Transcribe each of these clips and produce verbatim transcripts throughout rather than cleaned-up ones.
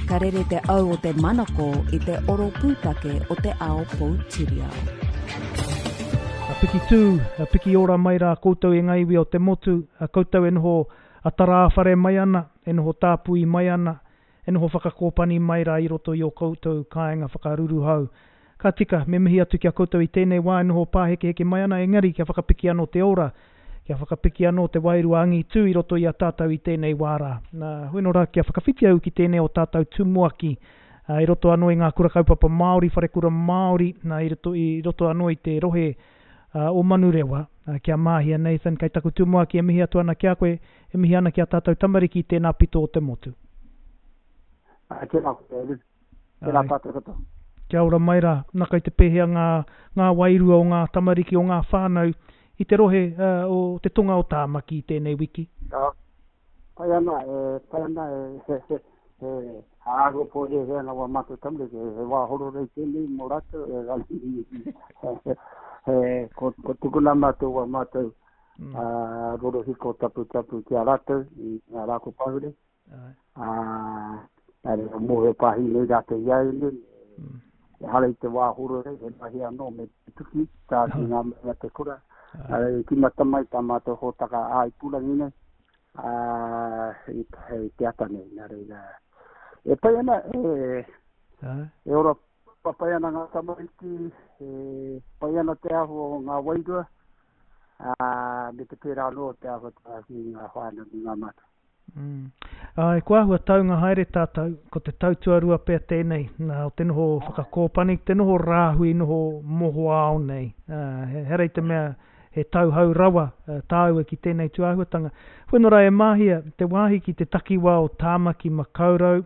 Ka rere te au o te manako i te oro pūtake o te ao poutiriao. A piki tū, a piki ora mai rā koutou e ngā iwi o te motu, a koutou e noho a tarāwhare mai ana, e noho tāpui mai ana, e noho whakakōpani mai rā i roto i o koutou kāinga whakaruruhau. Ka tika, me mihi atu ki a koutou i tēnei wā e noho pāhekeheke mai ana, engari kia whakapiki anō te ora, kia whakapiki anō te wairua angitū i roto i a tātou i tēnei wā rā. Nā, hoi nō rā, kia whakawhiti au ki tēnei o tātou tumuaki, uh, i roto anō i ngā kura kaupapa Māori, wharekura Māori, nā, i roto, i roto anō i te rohe uh, o Manurewa, uh, kia Māhia Nathan, kei taku tumuaki e mihi atu ana ki a koe, e mihi ana ki a tātou tamariki i tēnā pito o te motu. Ai, tēnā koe, Eru. Tēnā tātou katoa. Kia ora mai rā, nā kai te pēhea ngā, ngā wairua o ngā tamariki o ngā whānau i te rohe uh, o te tonga o Tāmaki i tēnei wiki. Uh, pai ana, e, pai ana, e, he, he, he, āhua pōhēhē ana wā mātou tamariki, he, he wā hororei tēnei mō rātou, e he, he, ko, ko tukuna mātou wā mātou mm. uh, rorohiko taputapu ki a rātou i ngā rā ko pahure. Uh, uh, mōhio pāhi nei rātou i au nei, mm. Ehara i te wā hororei, he mahi anō me te tuki, tā ki ngā mea te kura. Uh, tīmata mai tā mātou hōtaka ā-ipurangi nei, uh, i, i te ata nei. Nā reira, e pai ana, e, e ora papai ana ngā tamariki, e pai ana te āhua o ngā wairua, uh, me te pērā anō te āhua ki ngā whānau me ngā mātua. Mm. Ai, kua āhua taunga haere tātou, ko te tau tuarua pea tēnei, nā, o te noho whakakōpani, te noho rāhui, noho mohoao nei. Uh, he, here i te mea he tauhou rawa uh, tāua ki tēnei tūāhuatanga. Whenua rā e Māhia, te wāhi ki te takiwā o Tāmaki Makaurau,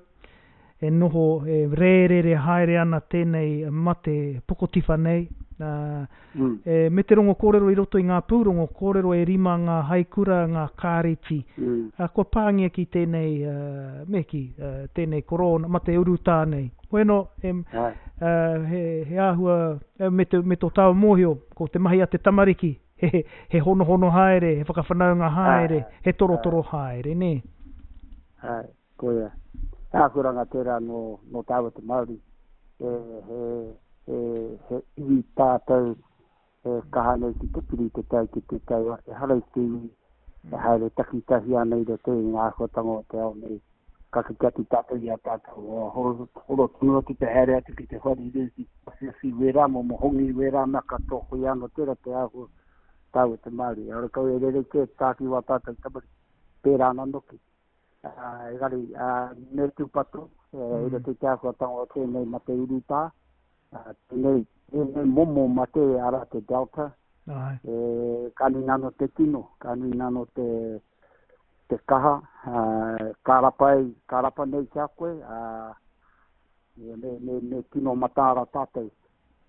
e noho, e rērere haere ana tēnei mate pokotiwha nei. Uh, mm. e, me te rongo kōrero i roto i ngā pūrongo, kōrero e rima ngā haikura, ngā kāreti. Mm. Uh, kua pāngia ki tēnei, uh, me ki, uh, tēnei korona, mate urutā nei. Bueno, e, uh, he, he āhua, me, te, me tō tāua mōhio, ko te mahi a te tamariki, he, he honohono haere, he whakawhanaunga haere, he torotoro haere, nē? Ai, koia. Āhuranga tērā no, no tāua te Māori. E, he, he, he iwi tātou e kaha nei ki te piri te tau ki te tau. Ehara i te iwi e haere takitahi ana i roto i ngā āhuatanga o te ao nei. Ka kite atu tātou i a tātou. Horo, horo tonu atu te haere atu ki te wharirū, ki te awhiawhi wērā, momo hongi wērā mea katoa koia anō tērā te āhua tāua te Māori. Ora kau e rerekē tā ki wā tātou tamariki, pērā ana noki. Uh, engari, uh, me tūpato, e, mm. i roto i te āhuatanga o tēnei mate urutā, uh, tēnei, tēnei momo mate ara te Delta, Ai. e, ka nui nano te tino, ka nui nano te, te kaha, uh, ka rapa, ei, ka rapa nei ki a koe, uh, me, me, me tino mataara tātou.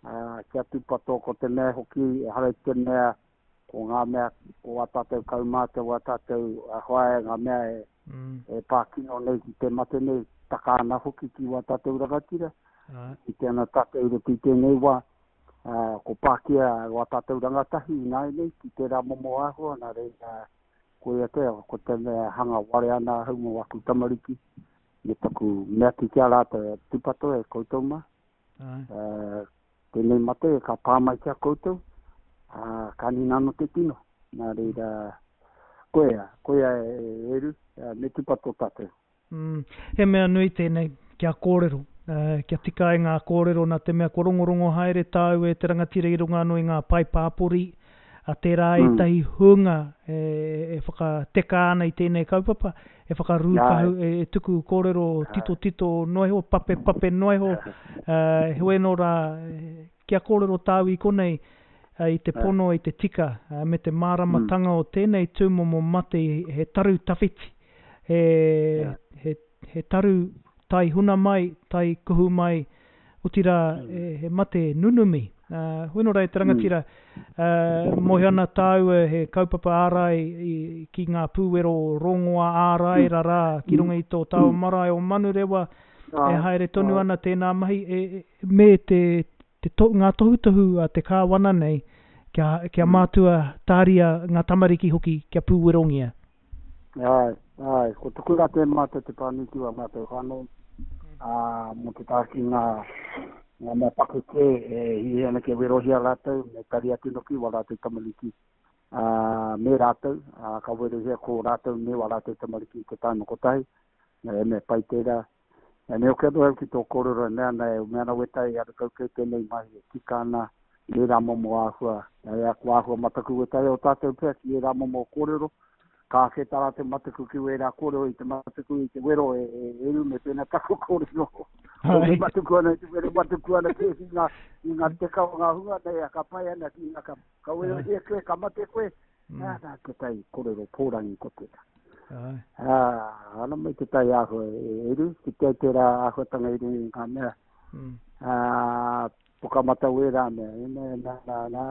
Uh, kia tūpato ko te mea hoki, ehara i te mea, ko ngā mea, ko wā tātou kaumātua, wā tātou uh, whaea, ngā mea e, mm. e pākino nei ki te mate nei, taka ana hoki ki wā tātou rangatira. Ai. I te ana tātou i roto i tēnei wā, uh, ko pākia wā tātou rangatahi i nāianei ki tērā momo āhua, nā reira, koia te, ko te mea hanga ware ana ahau mō aku tamariki, me taku mea ki a rātou, e tūpato e koutou mā. Ai. Uh, tēnei mate ka pā mai ki a koutou, uh, ka nui nano te tino. Nā reira, koia, koia e, Eru, uh, me tūpato tātou. Mm. He mea nui tēnei, kia kōrero, uh, kia tika ai ngā kōrero nā te mea ko rongorongo haere tāu e te rangatira i runga anō i ngā pae pāpori, a tērā Mm. ētahi hunga e, e whakateka ana i tēnei kaupapa, e whakarūkahu, e, e tuku kōrero tito tito noa iho, pape pape noa iho, uh, heoi anō rā, kia kōrero tāu i konei, uh, i te pono, i te tika, uh, me te māramatanga o tēnei tūmomo mate, he taru tawhiti, he, he, he taru tai huna mai, tai kuhu mai, otirā, he, he mate nunumi. Uh, hoi nō rā e te rangatira, uh, mōhio ana tāua he kaupapa ārai i, ki ngā pūwero rongoa ārai rarā ki runga i tō tāua marae o Manurewa, e haere tonu ana tēnā mahi, e, e, me te, te to, ngā tohutohu a te kāwana nei, kia, kia mātua tāria ngā tamariki hoki kia pūwerongia. Ai, ai, ko tuku rā te mātou te pānui ki wā mātou whānau. Ā, mō te taha ki ngā, ngā mea pakeke e hiahia ana kia werohia rātou, me tari atu noki wā rātou tamariki, ā, me rātou, ā, ka werohia ko rātou me wā rātou tamariki i te taima kotahi, e mea pai tērā. E me hoki anō au ki tō kōrero e mea ana, e mea ana wētahi e arakau kei tēnei mahi e tika ana i ērā momo āhua, e aku āhua mataku wētahi o tātou pea ki ērā momo kōrero, ka ake tā rātou mataku ki wērā kōrero i te mataku i te wero e, e, e ru me pēnā taku kōrero. Ko me mataku ana i te wero, mataku ana kē ki ngā, i ngā teka o ngā hunga nei, a ka pai ana ki ngā, ka, ka werohia koe, ka mate koe, mm. Nā, nā, te tai kōrero pōrangi ko tērā. Ai. Ā, ana mai te tai āhua e eru, ki te tērā āhuatanga i runga i ngā mea. Mm. Ā, pukamata wērā mea, e mea, nā, nā, nā,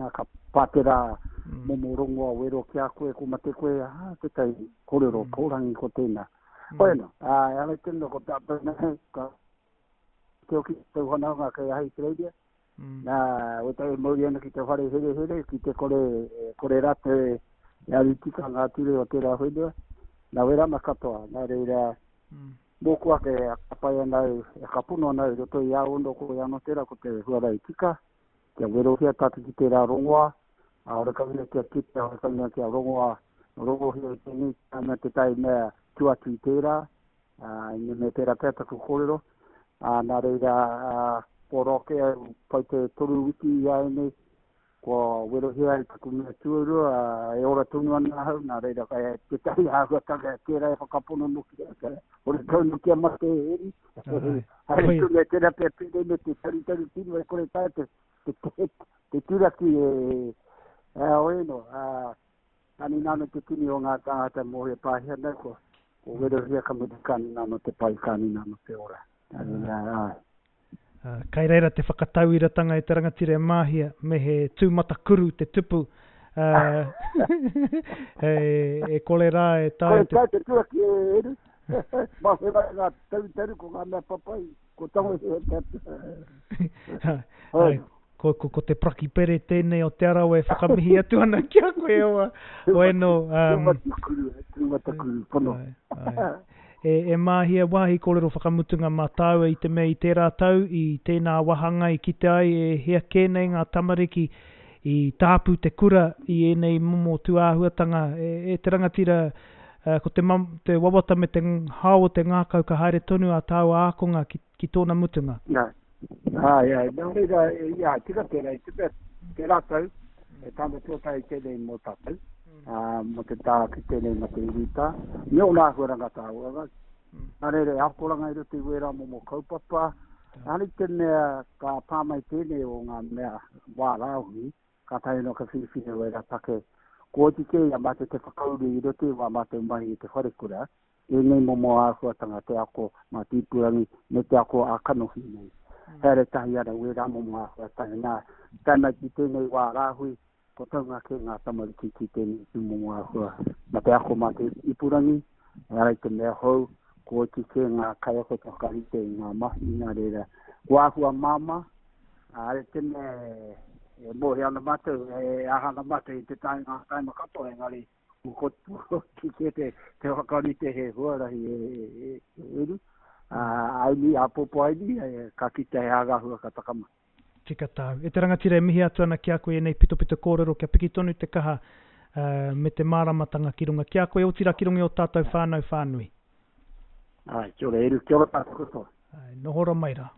nā, ka pā tērā Mm. momo rongoa wero ki a koe, ko mate koe, ā, te tai kōrero Mm. pōrangi ko tēnā. Mm. Hoi anō, ā, e ala tēnā ko tātou nei, ka te oki te whanaunga kei Ahitereiria. Mm. Nā, wētahi e mauri ana ki te whare herehere, ki te kore, e, kore rātou e, e aru tika ngā ture o tērā whenua. Nā wērā mea katoa, nā reira, Mm. mōku ake e ka pai ana au, e ka pono ana au i roto i a ono ko i ano tērā ko te huarahi tika, kia werohia tātou ki tērā rongoa, a ora kau kia kite, ora kau kia rongoa, rongohia i tēnei tāna te tai mea tu atu i tērā, ā, i me me tērā pea taku kōrero, ā, nā reira, ā, kua roa kē au pai te toru wiki i a nei, kua werohia ai taku mea tuarua, ā, e ora tonu ana ahau, nā reira, kai tētahi āhuatanga tērā e whakapono noki, ka, ora kau noki a mate e eri. Ai. Haere Koia. tonu e tērā pea pēnei me te tarutaru tino e kore taea te, te, te, te turaki e, e oe no, ā, kani nāno te tini o ngā tāngata mōhio pāhia nei, ko, ko werohia ka mutu kani nāno te pai, kani nāno te ora. Nā reira, āe. Uh, kai reira te whakatauiratanga e te rangatira e Māhia, me he tūmatakuru te tupu, uh, e, e kore rā e taea Kore te... taea te turaki e eru. Mā whera ngā tarutaru ko ngā mea papai, ko tangohia te... Ai, ko, ko, ko te prakipere tēnei o Te Arawa e whakamihi atu ana ki a koe oa. Oe no, um, Tūmatakuru, tūmatakuru, pono. Ai, ai. E, e Māhia, wāhi kōrero whakamutunga mā tāua i te mea i tērā tau, i tēnā wāhanga i kite ai e hea kē nei ngā tamariki i tāpu te kura i ēnei momo tūāhuatanga. E, e te rangatira, uh, ko te, mam, te wawata me te hao o te ngākau ka haere tonu a tāua ākonga ki, ki tōna mutunga. Nā, ai, ai, nā reira, e, ia, tika tērā, i te mea, tērā tau, e tāna tuatahi tēnei mō tātou, ā, mō te tā ki tēnei ma te urutā, me ōna āhuaranga tāua. Nā reira, e akoranga i roto i wērā momo kaupapa, Ani te mea ka pā mai tēnei o ngā mea wā rāhui, ka tae no ka whiriwhiri wērā take. Ko oti kē i a mātou te whakauru i roto i wā mātou mahi i te wharekura, ēnei momo āhuatanga te ako mā te ipurangi me te ako a kanohi nei. Haere tahi ana wērā momo āhuatanga. Nā, tae mai ki tēnei wā rāhui, ko taunga kē ngā tamariki ki tēnei tūmomo āhua. Mā te ako mā te ipurangi, e ara i te mea hou, ko oti kē ngā kaiako te whakarite i ngā mahi, nā reira. Ko āhua māmā, ā, te mea e mōhio ana mātou, e aha ana mātou i te tae ngā taima katoa, engari ko oti kē te, te whakarite he huarahi e, e, e eru. Ā, aini, āpōpō aini, e, ka kite he āgahua ka taka mai. Tika tāu. E te rangatira e mihi atu ana ki a koe ēnei pitopito kōrero kia piki tonu te kaha uh, me te māramatanga ki runga ki a koe, otirā ki runga i o tātou whānau whānui. Ai, kia ora, eru, kia ora tātou katoa. Ai, nohora mai rā.